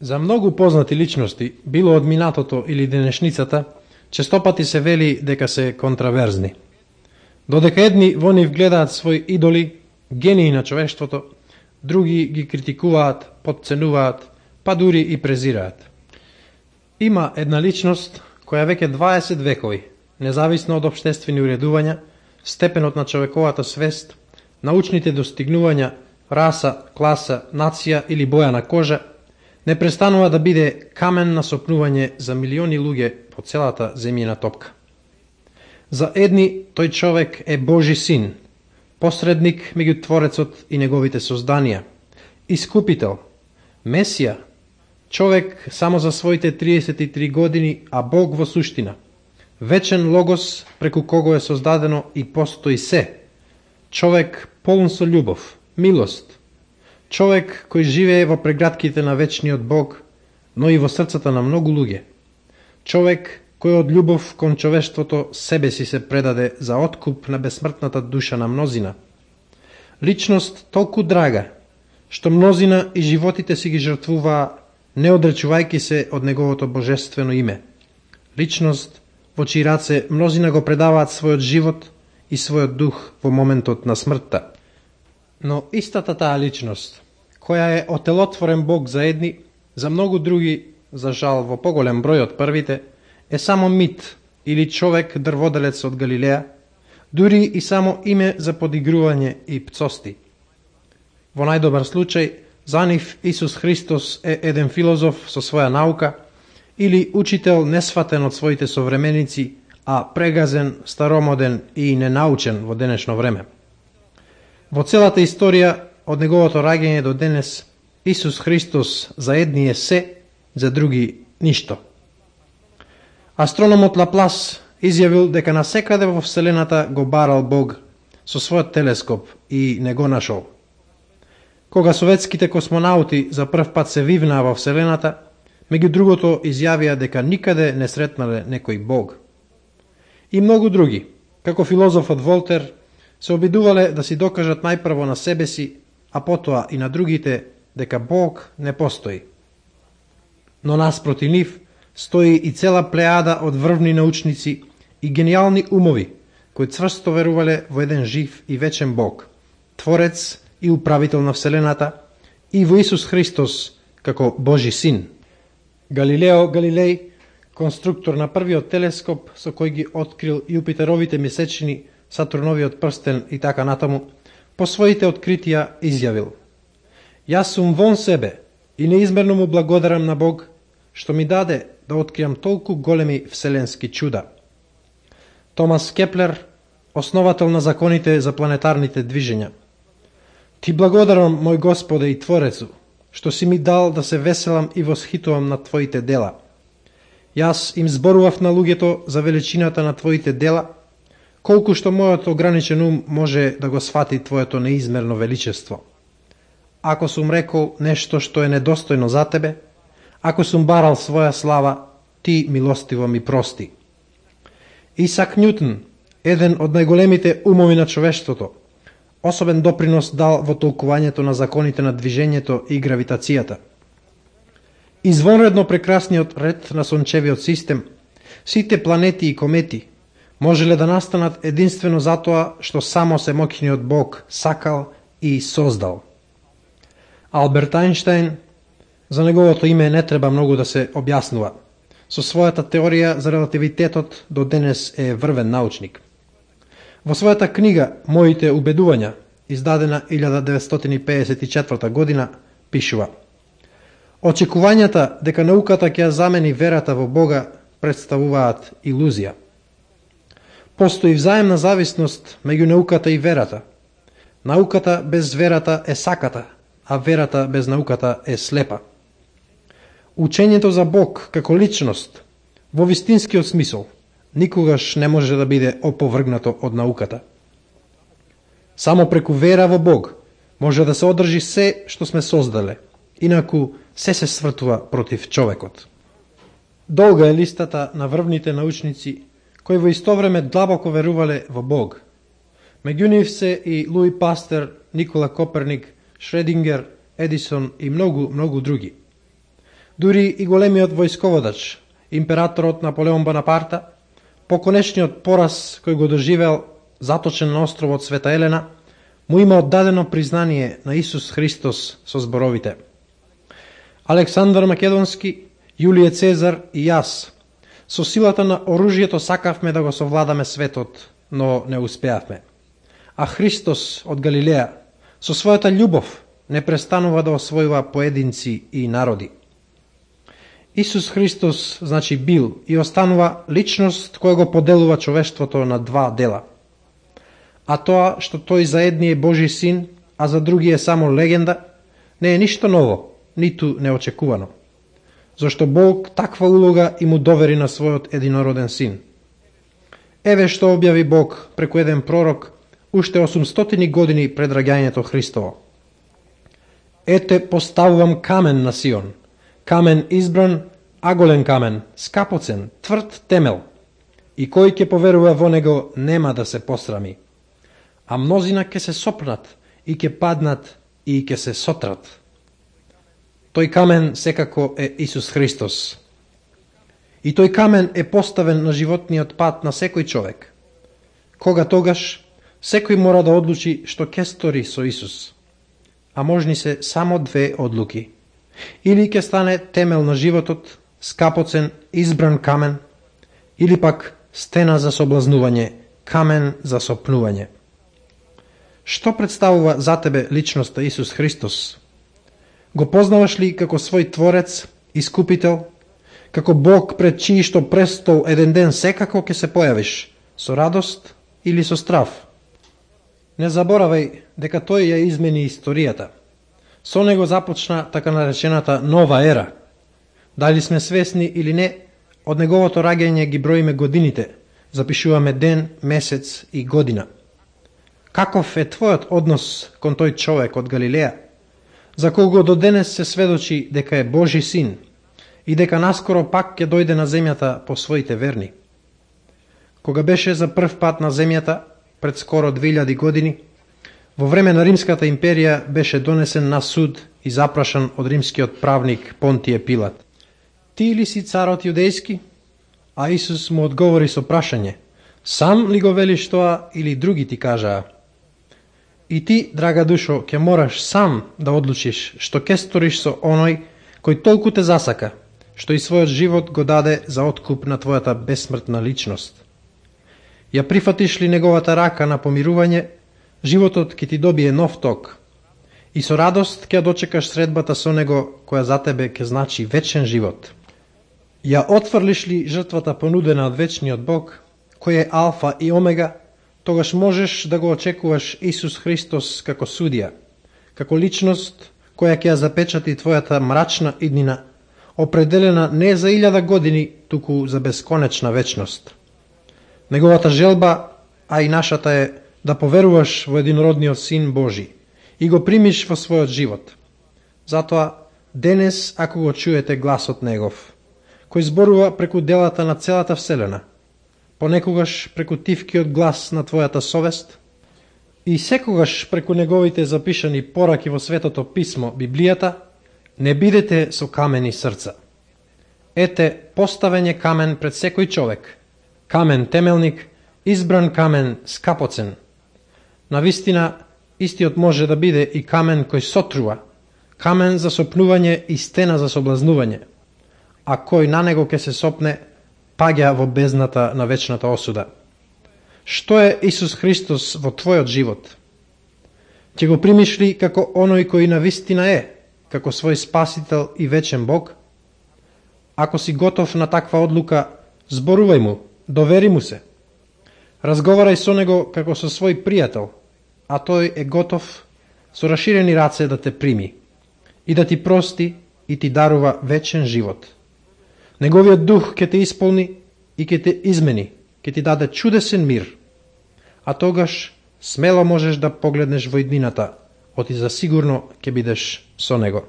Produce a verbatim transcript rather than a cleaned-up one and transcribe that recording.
За многу познати личности, било од минатото или денешницата, честопати се вели дека се контраверзни. Додека едни во нив гледаат своји идоли, гении на човештвото, други ги критикуваат, потценуваат, па дури и презираат. Има една личност која веќе дваесет векови, независно од општествени уредувања, степенот на човековата свест, научните достигнувања, раса, класа, нација или боја на кожа, не престанува да биде камен на сопнување за милиони луѓе по целата земјина топка. За едни тој човек е Божи син, посредник меѓу Творецот и неговите созданија, искупител, Месија, човек само за своите триесет и три години, а Бог во суштина, вечен логос преку кого е создадено и постои се, човек полн со љубов, милост, човек кој живее во прегратките на вечниот Бог, но и во срцата на многу луѓе, човек кој од љубов кон човештвото себе си се предаде за откуп на бесмртната душа на мнозина. Личност толку драга, што мнозина и животите си ги жртвуваа, не одречувајќи се од неговото божествено име. Личност во чии раце мнозина го предаваат својот живот и својот дух во моментот на смртта. Но истата таа личност, која е отелотворен Бог за едни, за многу други, за жал во поголем број од првите, е само мит или човек дрводелец од Галилеја, дури и само име за подигрување и пцости. Во најдобар случај, за нив Исус Христос е еден филозоф со своја наука или учител несфатен од своите современици, а прегазен, старомоден и ненаучен во денешно време. Во целата историја од неговото раѓање до денес, Исус Христос за едни е се, за други ништо. Астрономот Лаплас изјавил дека насекаде во Вселената го барал Бог со својот телескоп и не го нашол. Кога советските космонаути за прв пат се вивнаа во Вселената, меѓу другото изјавија дека никаде не сретнале некој Бог. И многу други, како филозофот Волтер, се обидувале да си докажат најпрво на себе си, а потоа и на другите, дека Бог не постои. Но наспроти нив стои и цела плејада од врвни научници и гениални умови, кои цврсто верувале во еден жив и вечен Бог, Творец и управител на Вселената, и во Исус Христос како Божи син. Галилео Галилеј, конструктор на првиот телескоп со кој ги открил Јупитеровите месечини, Сатурновиот прстен и така натаму, по своите откритија изјавил: "Јас сум вон себе и неизмерно му благодарам на Бог што ми даде да откриам толку големи вселенски чуда." Томас Кеплер, основател на законите за планетарните движења: "Ти благодарам, мој Господе и Творецу, што си ми дал да се веселам и восхитувам на Твоите дела. Јас им зборував на луѓето за величината на Твоите дела, колку што мојот ограничен ум може да го свати Твоето неизмерно величество. Ако сум рекол нешто што е недостојно за Тебе, ако сум барал своја слава, Ти милостиво ми прости." Исак Њутон, еден од најголемите умови на човештвото, особен допринос дал во толкувањето на законите на движењето и гравитацијата. Извонредно прекрасниот ред на сончевиот систем, сите планети и комети, можеле да настанат единствено затоа што само семоќниот Бог сакал и создал. Алберт Ајнштајн, за неговото име не треба многу да се објаснува. Со својата теорија за релативитетот до денес е врвен научник. Во својата книга "Моите убедувања", издадена илјада деветстотини педесет и четврта година, пишува: "Очекувањата дека науката ќе ја замени верата во Бога представуваат илузија. Постои взаемна зависност меѓу науката и верата. Науката без верата е саката, а верата без науката е слепа. Учењето за Бог како личност, во вистинскиот смисол, никогаш не може да биде оповргнато од науката. Само преку вера во Бог може да се одржи се што сме создале, инаку се се свртува против човекот." Долга е листата на врвните научници кои во исто време длабоко верувале во Бог. Меѓу нив се и Луи Пастер, Никола Коперник, Шредингер, Едисон и многу, многу други. Дури и големиот војсководач, императорот Наполеон Бонапарта, по конечниот пораз кој го доживел заточен на островот Света Елена, му има оддадено признание на Исус Христос со зборовите: Александар Македонски, Јулије Цезар и јас, со силата на оружјето сакавме да го совладаме светот, но не успеавме. А Христос од Галилеја, со својата љубов, не престанува да освојува поединци и народи. Исус Христос, значи, бил и останува личност која го поделува човештвото на два дела. А тоа што тој за едни е Божи син, а за други е само легенда, не е ништо ново, ниту неочекувано. Зашто Бог таква улога и му довери на својот единороден син. Еве што објави Бог преку еден пророк уште осумстотини години пред раѓањето Христово. Ете, поставувам камен на Сион, камен избран, аголен камен, скапоцен, тврд темел, и кој ќе поверува во него нема да се посрами. А мнозина ќе се сопнат и ќе паднат и ќе се сотрат. Тој камен секако е Исус Христос. И тој камен е поставен на животниот пат на секој човек. Кога тогаш, секој мора да одлучи што ќе стори со Исус. А можни се само две одлуки. Или ќе стане темел на животот, скапоцен, избран камен, или пак стена за соблазнување, камен за сопнување. Што представува за тебе личноста Исус Христос? Го познаваш ли како свој Творец, Искупител, како Бог пред чиј што престол еден ден секако ќе се појавиш, со радост или со страв? Не заборавај дека тој ја измени историјата. Со него започна така наречената нова ера. Дали сме свесни или не, од неговото раѓање ги броиме годините, запишуваме ден, месец и година. Каков е твојот однос кон тој човек од Галилеја, за кого до денес се сведочи дека е Божи син и дека наскоро пак ќе дојде на земјата по своите верни? Кога беше за прв пат на земјата, пред скоро две илјади години, во време на Римската империја беше донесен на суд и запрашан од римскиот правник Понтије Пилат: Ти ли си царот јудејски? А Исус му одговори со прашање: Сам ли го велиш тоа или други ти кажаа? И ти, драга душо, ќе мораш сам да одлучиш што ќе сториш со оној кој толку те засака, што и својот живот го даде за откуп на твојата бесмртна личност. Ја прифатиш ли неговата рака на помирување, животот ќе ти добие нов ток и со радост ќе дочекаш средбата со него која за тебе ќе значи вечен живот. Ја отфрлиш ли жртвата понудена од вечниот Бог, кој е алфа и омега, тогаш можеш да го очекуваш Исус Христос како судија, како личност која ќе ја запечати твојата мрачна иднина, определена не за илјада години, туку за бесконечна вечност. Неговата желба, а и нашата е да поверуваш во единородниот Син Божи и го примиш во својот живот. Затоа, денес, ако го чуете гласот Негов, кој зборува преку делата на целата Вселена, понекогаш преку тивкиот глас на твојата совест и секогаш преку неговите запишани пораки во Светото Писмо, Библијата, не бидете со камени срца. Ете, поставен е камен пред секој човек, камен темелник, избран камен скапоцен. Навистина, истиот може да биде и камен кој сотрува, камен за сопнување и стена за соблазнување, а кој на него ќе се сопне, паѓа во бездната на вечната осуда. Што е Исус Христос во твојот живот? Ќе го примиш ли како оној кој навистина е, како свој спасител и вечен Бог? Ако си готов на таква одлука, зборувај му, довери му се. Разговарај со него како со свој пријател, а тој е готов со раширени раце да те прими и да ти прости и ти дарува вечен живот. Неговиот дух ќе те исполни и ќе те измени, ќе ти даде чудесен мир, а тогаш смело можеш да погледнеш во иднината, оти за сигурно ќе бидеш со него.